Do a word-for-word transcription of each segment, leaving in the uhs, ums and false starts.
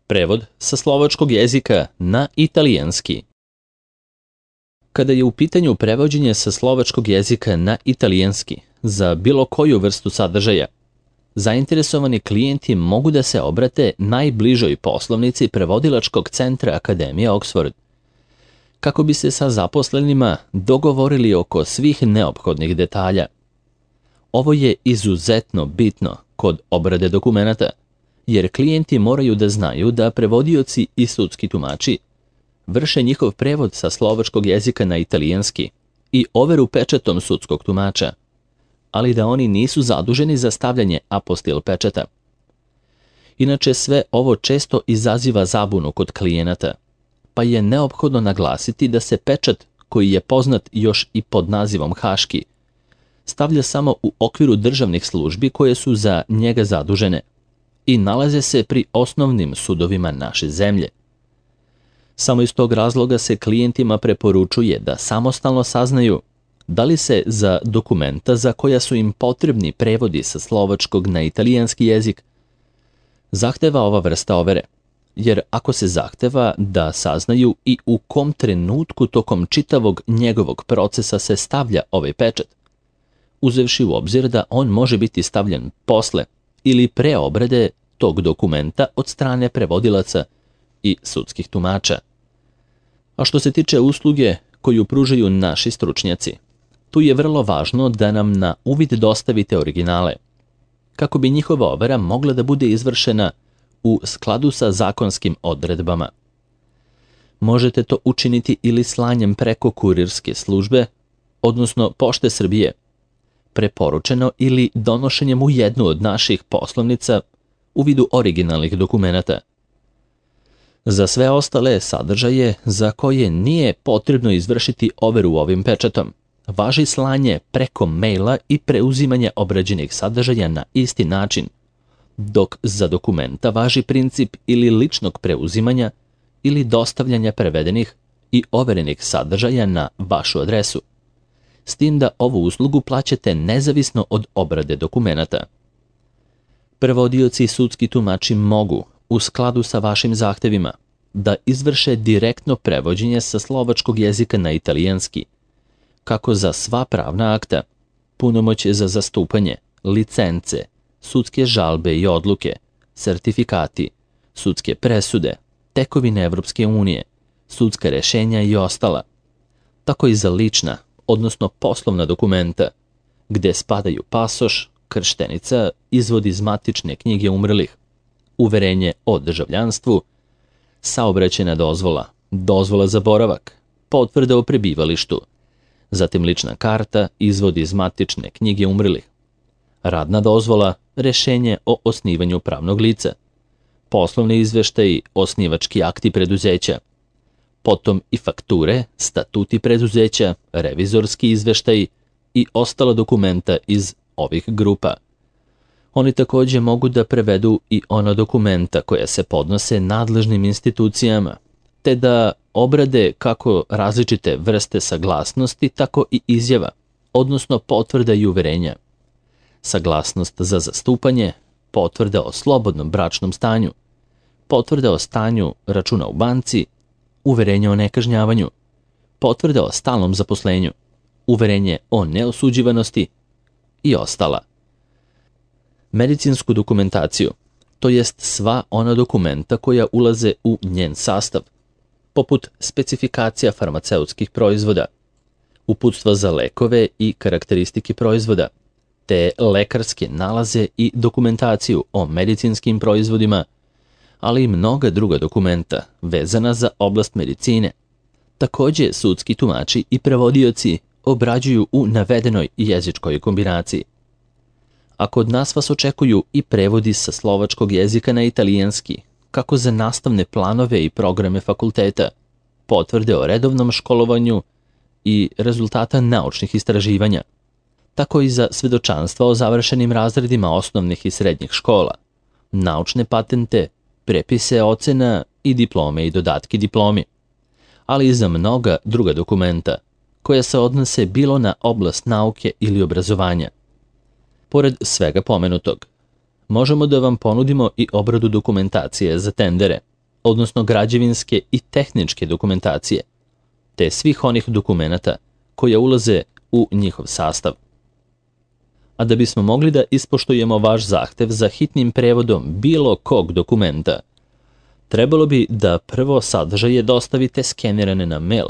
Prevod sa slovačkog jezika na italijanski. Kada je u pitanju prevođenje sa slovačkog jezika na italijanski za bilo koju vrstu sadržaja, zainteresovani klijenti mogu da se obrate najbližoj poslovnici prevodilačkog centra Akademije Oxford, kako bi se sa zaposlenima dogovorili oko svih neophodnih detalja. Ovo je izuzetno bitno kod obrade dokumenata, jer klijenti moraju da znaju da prevodioci i sudski tumači vrše njihov prevod sa slovačkog jezika na italijanski i overu pečatom sudskog tumača, ali da oni nisu zaduženi za stavljanje apostil pečata. Inače, sve ovo često izaziva zabunu kod klijenata, pa je neophodno naglasiti da se pečat, koji je poznat još i pod nazivom haški, stavlja samo u okviru državnih službi koje su za njega zadužene i nalaze se pri osnovnim sudovima naše zemlje. Samo iz tog razloga se klijentima preporučuje da samostalno saznaju da li se za dokumenta za koja su im potrebni prevodi sa slovačkog na italijanski jezik zahteva ova vrsta overe, jer ako se zahteva da saznaju i u kom trenutku tokom čitavog njegovog procesa se stavlja ovaj pečat, uzevši u obzir da on može biti stavljen posle ili pre obrade tog dokumenta od strane prevodilaca i sudskih tumača. A što se tiče usluge koju pružaju naši stručnjaci, tu je vrlo važno da nam na uvid dostavite originale, kako bi njihova overa mogla da bude izvršena u skladu sa zakonskim odredbama. Možete to učiniti ili slanjem preko kurirske službe, odnosno Pošte Srbije, preporučeno ili donošenjem u jednu od naših poslovnica u vidu originalnih dokumenata. Za sve ostale sadržaje za koje nije potrebno izvršiti overu ovim pečatom, važi slanje preko maila i preuzimanje obrađenih sadržaja na isti način, dok za dokumenta važi princip ili ličnog preuzimanja ili dostavljanja prevedenih i overenih sadržaja na vašu adresu, s tim da ovu uslugu plaćate nezavisno od obrade dokumenata. Prevodioci i sudski tumači mogu, u skladu sa vašim zahtevima, da izvrše direktno prevođenje sa slovačkog jezika na italijanski, kako za sva pravna akta, punomoćje za zastupanje, licence, sudske žalbe i odluke, sertifikati, sudske presude, tekovine Evropske unije, sudska rešenja i ostala, tako i za lična, odnosno poslovna dokumenta, gde spadaju pasoš, krštenica, izvod iz matične knjige umrlih, uverenje o državljanstvu, saobraćajna dozvola, dozvola za boravak, potvrda o prebivalištu, zatim lična karta, izvod iz matične knjige umrlih, radna dozvola, rešenje o osnivanju pravnog lica, poslovni izveštaji, osnivački akti preduzeća, potom i fakture, statuti preduzeća, revizorski izveštaji i ostala dokumenta iz ovih grupa. Oni takođe mogu da prevedu i ona dokumenta koja se podnose nadležnim institucijama, te da obrade kako različite vrste saglasnosti, tako i izjava, odnosno potvrda i uverenja. Saglasnost za zastupanje, potvrda o slobodnom bračnom stanju, potvrda o stanju računa u banci, uverenje o nekažnjavanju, potvrda o stalnom zaposlenju, uverenje o neosuđivanosti i ostala. Medicinsku dokumentaciju, to jest sva ona dokumenta koja ulaze u njen sastav, poput specifikacija farmaceutskih proizvoda, uputstva za lekove i karakteristike proizvoda, te lekarske nalaze i dokumentaciju o medicinskim proizvodima, ali i mnoga druga dokumenta vezana za oblast medicine. Takođe, sudski tumači i prevodioci obrađuju u navedenoj jezičkoj kombinaciji. A kod nas vas očekuju i prevodi sa slovačkog jezika na italijanski, kako za nastavne planove i programe fakulteta, potvrde o redovnom školovanju i rezultata naučnih istraživanja, tako i za svedočanstva o završenim razredima osnovnih i srednjih škola, naučne patente, prepise ocena i diplome i dodatki diplomi, ali i za mnoga druga dokumenta koja se odnose bilo na oblast nauke ili obrazovanja. Pored svega pomenutog, možemo da vam ponudimo i obradu dokumentacije za tendere, odnosno građevinske i tehničke dokumentacije, te svih onih dokumenata koja ulaze u njihov sastav. A da bismo mogli da ispoštujemo vaš zahtev za hitnim prevodom bilo kog dokumenta, trebalo bi da prvo sadržaje dostavite skenirane na mail,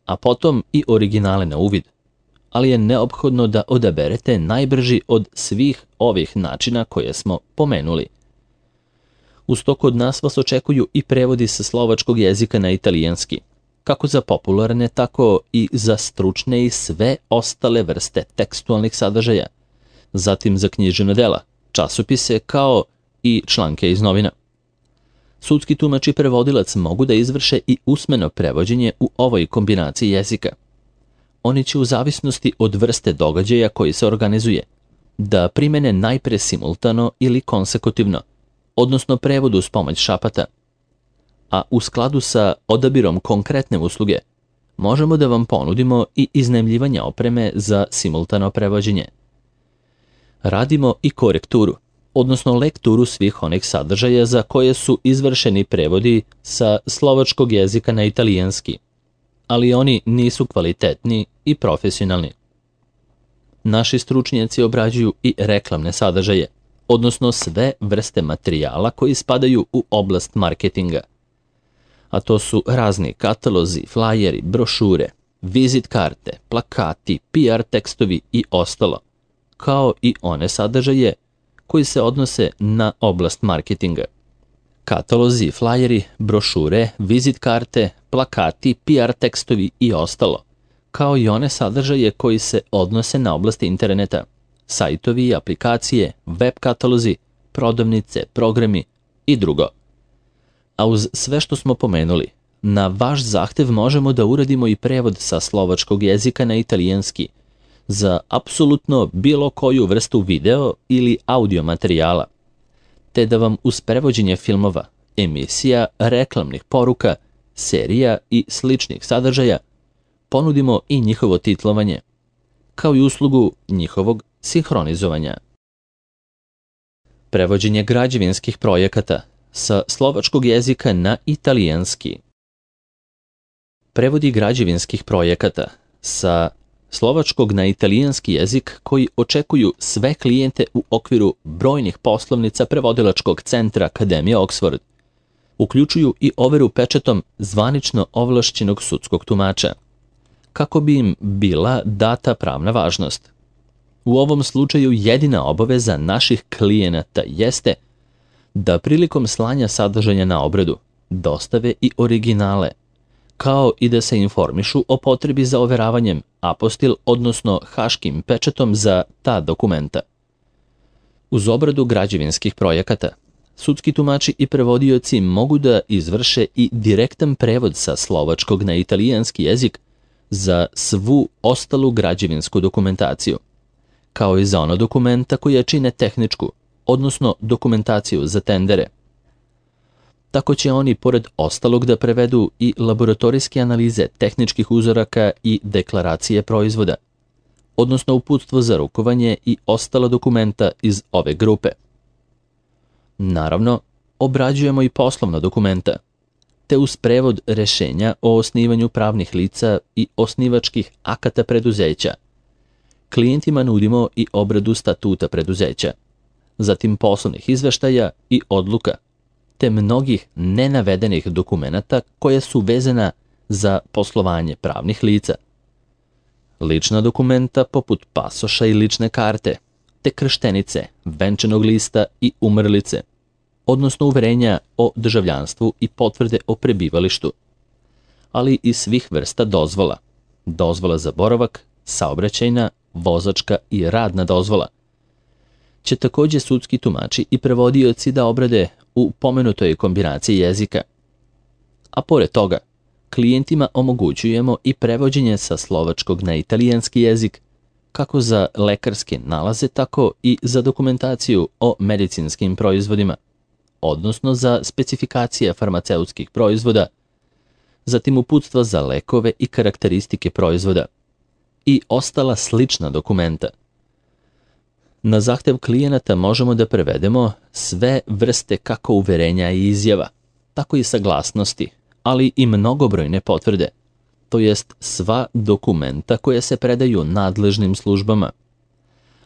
a potom i originale na uvid, ali je neophodno da odaberete najbrži od svih ovih načina koje smo pomenuli. Uz to kod nas vas očekuju i prevodi sa slovačkog jezika na italijanski, kako za popularne, tako i za stručne i sve ostale vrste tekstualnih sadržaja, zatim za književna dela, časopise kao i članke iz novina. Sudski tumač i prevodilac mogu da izvrše i usmeno prevođenje u ovoj kombinaciji jezika. Oni će u zavisnosti od vrste događaja koji se organizuje da primene najpre simultano ili konsekutivno, odnosno prevod uz pomoć šapata, a u skladu sa odabirom konkretne usluge možemo da vam ponudimo i iznajmljivanje opreme za simultano prevođenje. Radimo i korekturu, odnosno lekturu svih onih sadržaja za koje su izvršeni prevodi sa slovačkog jezika na italijanski, ali oni nisu kvalitetni i profesionalni. Naši stručnjaci obrađuju i reklamne sadržaje, odnosno sve vrste materijala koji spadaju u oblast marketinga. A to su razni katalozi, flajeri, brošure, vizit karte, plakati, P R tekstovi i ostalo, kao i one sadržaje koji se odnose na oblast marketinga. Katalozi, flajeri, brošure, vizit karte, plakati, P R tekstovi i ostalo, kao i one sadržaje koji se odnose na oblast interneta, sajtovi, aplikacije, web katalozi, prodavnice, programi i drugo. A uz sve što smo pomenuli, na vaš zahtev možemo da uradimo i prevod sa slovačkog jezika na italijanski za apsolutno bilo koju vrstu video ili audio materijala, te da vam uz prevođenje filmova, emisija, reklamnih poruka, serija i sličnih sadržaja ponudimo i njihovo titlovanje, kao i uslugu njihovog sinhronizovanja. Prevođenje građevinskih projekata sa slovačkog jezika na italijanski. Prevodi građevinskih projekata sa slovačkog na italijanski jezik koji očekuju sve klijente u okviru brojnih poslovnica prevodilačkog centra Akademije Oxford, uključuju i overu pečatom zvanično ovlašćenog sudskog tumača, kako bi im bila data pravna važnost. U ovom slučaju jedina obaveza naših klijenata jeste da prilikom slanja sadržaja na obradu dostave i originale, kao i da se informišu o potrebi za overavanjem apostil, odnosno haškim pečatom za ta dokumenta. Uz obradu građevinskih projekata, sudski tumači i prevodioci mogu da izvrše i direktan prevod sa slovačkog na italijanski jezik za svu ostalu građevinsku dokumentaciju, kao i za ona dokumenta koja čine tehničku, odnosno dokumentaciju za tendere. Tako će oni pored ostalog da prevedu i laboratorijske analize tehničkih uzoraka i deklaracije proizvoda, odnosno uputstvo za rukovanje i ostala dokumenta iz ove grupe. Naravno, obrađujemo i poslovna dokumenta, te uz prevod rešenja o osnivanju pravnih lica i osnivačkih akata preduzeća. Klijentima nudimo i obradu statuta preduzeća, zatim poslovnih izveštaja i odluka, te mnogih nenavedenih dokumenata koja su vezana za poslovanje pravnih lica. Lična dokumenta poput pasoša i lične karte, te krštenice, venčanog lista i umrlice, odnosno uverenja o državljanstvu i potvrde o prebivalištu, ali i svih vrsta dozvola, dozvola za boravak, saobraćajna, vozačka i radna dozvola, će također sudski tumači i prevodioci da obrade u pomenutoj kombinaciji jezika. A pored toga, klijentima omogućujemo i prevođenje sa slovačkog na italijanski jezik, kako za lekarske nalaze, tako i za dokumentaciju o medicinskim proizvodima, odnosno za specifikacije farmaceutskih proizvoda, zatim uputstva za lekove i karakteristike proizvoda i ostala slična dokumenta. Na zahtev klijenata možemo da prevedemo sve vrste kako uverenja i izjava, tako i saglasnosti, ali i mnogobrojne potvrde, to jest sva dokumenta koja se predaju nadležnim službama,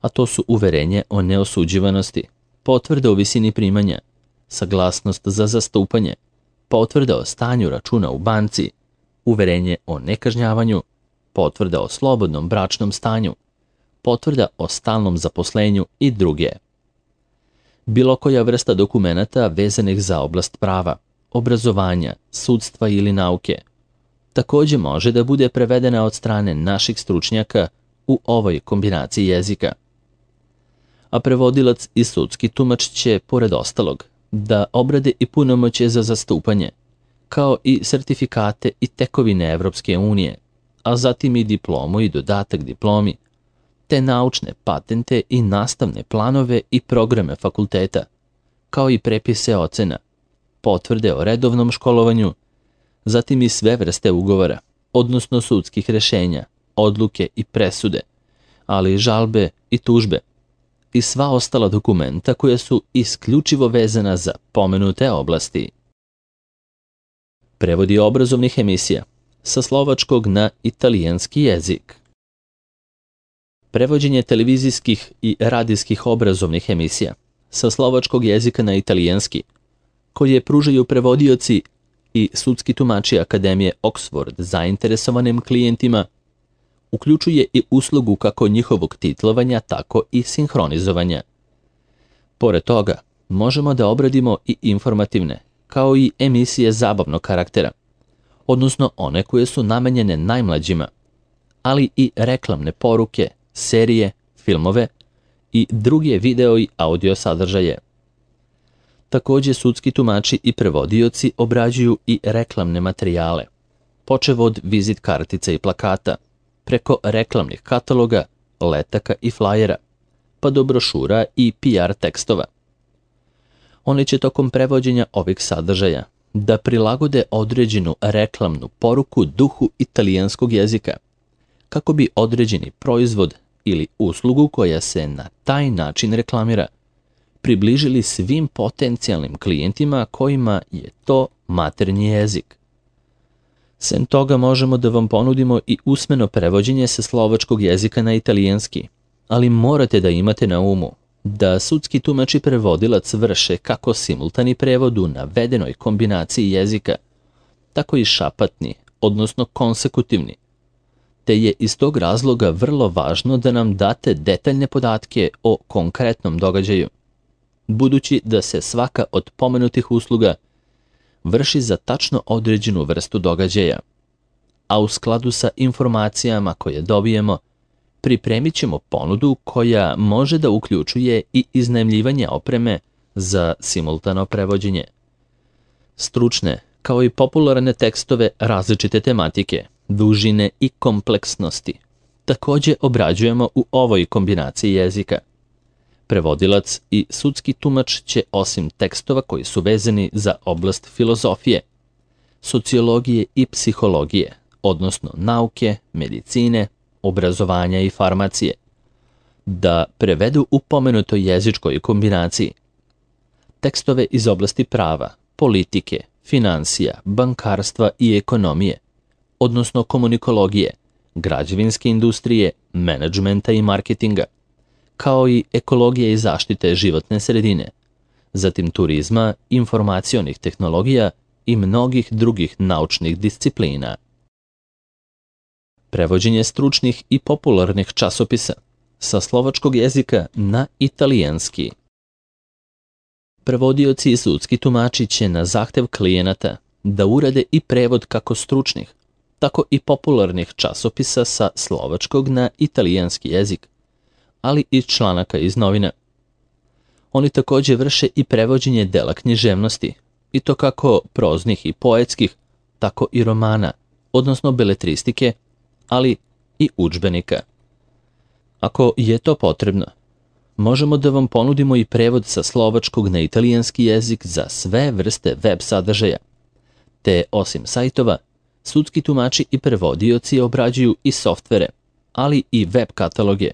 a to su uverenje o neosuđivanosti, potvrda o visini primanja, saglasnost za zastupanje, potvrda o stanju računa u banci, uverenje o nekažnjavanju, potvrda o slobodnom bračnom stanju, potvrda o stalnom zaposlenju i druge. Bilo koja vrsta dokumenata vezanih za oblast prava, obrazovanja, sudstva ili nauke, takođe može da bude prevedena od strane naših stručnjaka u ovoj kombinaciji jezika. A prevodilac i sudski tumač će, pored ostalog, da obrade i punomoćje za zastupanje, kao i sertifikate i tekovine Evropske unije, a zatim i diplomu i dodatak diplomi, te naučne patente i nastavne planove i programe fakulteta, kao i prepise ocena, potvrde o redovnom školovanju, zatim i sve vrste ugovora, odnosno sudskih rešenja, odluke i presude, ali i žalbe i tužbe, i sva ostala dokumenta koja su isključivo vezana za pomenute oblasti. Prevodi obrazovnih emisija sa slovačkog na italijanski jezik. Prevođenje televizijskih i radijskih obrazovnih emisija sa slovačkog jezika na italijanski, koje pružaju prevodioci i sudski tumači Akademije Oxford zainteresovanim klijentima, uključuje i uslugu kako njihovog titlovanja, tako i sinhronizovanja. Pored toga, možemo da obradimo i informativne, kao i emisije zabavnog karaktera, odnosno one koje su namenjene najmlađima, ali i reklamne poruke, serije, filmove i druge video i audio sadržaje. Takođe, sudski tumači i prevodioci obrađuju i reklamne materijale, počev od vizit kartica i plakata, preko reklamnih kataloga, letaka i flajera, pa do brošura i P R tekstova. Oni će tokom prevođenja ovih sadržaja da prilagode određenu reklamnu poruku duhu italijanskog jezika, kako bi određeni proizvod ili uslugu koja se na taj način reklamira približili svim potencijalnim klijentima kojima je to maternji jezik. Sem toga možemo da vam ponudimo i usmeno prevođenje sa slovačkog jezika na italijanski, ali morate da imate na umu da sudski tumač i prevodilac vrše kako simultani prevod u navedenoj kombinaciji jezika, tako i šapatni, odnosno konsekutivni, te je iz tog razloga vrlo važno da nam date detaljne podatke o konkretnom događaju, budući da se svaka od pomenutih usluga vrši za tačno određenu vrstu događaja, a u skladu sa informacijama koje dobijemo, pripremit ćemo ponudu koja može da uključuje i iznajmljivanje opreme za simultano prevođenje. Stručne, kao i popularne tekstove različite tematike, dužine i kompleksnosti, takođe obrađujemo u ovoj kombinaciji jezika. Prevodilac i sudski tumač će osim tekstova koji su vezani za oblast filozofije, sociologije i psihologije, odnosno nauke, medicine, obrazovanja i farmacije, da prevedu u pomenutoj jezičkoj kombinaciji tekstove iz oblasti prava, politike, finansija, bankarstva i ekonomije, odnosno komunikologije, građevinske industrije, menadžmenta i marketinga, kao i ekologije i zaštite životne sredine, zatim turizma, informacionih tehnologija i mnogih drugih naučnih disciplina. Prevođenje stručnih i popularnih časopisa sa slovačkog jezika na italijanski. Prevodioci i sudski tumači će na zahtev klijenata da urade i prevod kako stručnih, tako i popularnih časopisa sa slovačkog na italijanski jezik, ali i članaka iz novina. Oni takođe vrše i prevođenje dela književnosti, i to kako proznih i poetskih, tako i romana, odnosno beletristike, ali i udžbenika. Ako je to potrebno, možemo da vam ponudimo i prevod sa slovačkog na italijanski jezik za sve vrste web sadržaja, te osim sajtova, sudski tumači i prevodioci obrađuju i softvere, ali i web kataloge,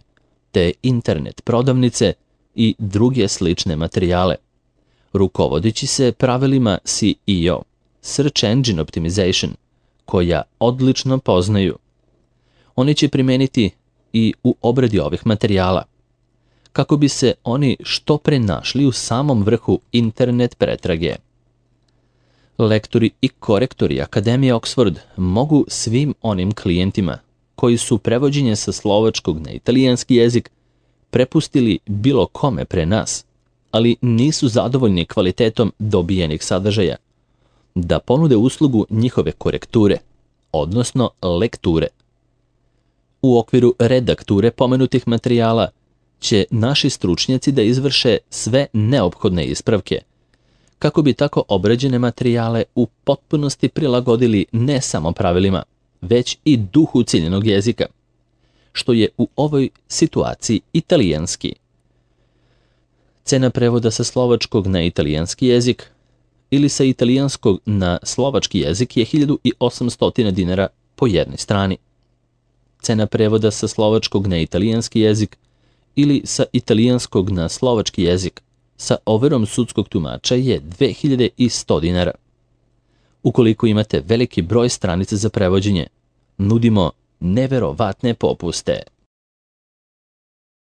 te internet prodavnice i druge slične materijale, rukovodeći se pravilima S E O, Search Engine Optimization, koja odlično poznaju. Oni će primeniti i u obradi ovih materijala, kako bi se oni što pre našli u samom vrhu internet pretrage. Lektori i korektori Akademije Oxford mogu svim onim klijentima koji su prevođenje sa slovačkog na italijanski jezik prepustili bilo kome pre nas, ali nisu zadovoljni kvalitetom dobijenih sadržaja, da ponude uslugu njihove korekture, odnosno lekture. U okviru redakture pomenutih materijala će naši stručnjaci da izvrše sve neophodne ispravke, kako bi tako obrađene materijale u potpunosti prilagodili ne samo pravilima, već i duhu ciljenog jezika, što je u ovoj situaciji italijanski. Cena prevoda sa slovačkog na italijanski jezik ili sa italijanskog na slovački jezik je hiljadu osamsto dinara po jednoj strani. Cena prevoda sa slovačkog na italijanski jezik ili sa italijanskog na slovački jezik sa overom sudskog tumača je dve hiljade sto dinara. Ukoliko imate veliki broj stranica za prevođenje, nudimo neverovatne popuste.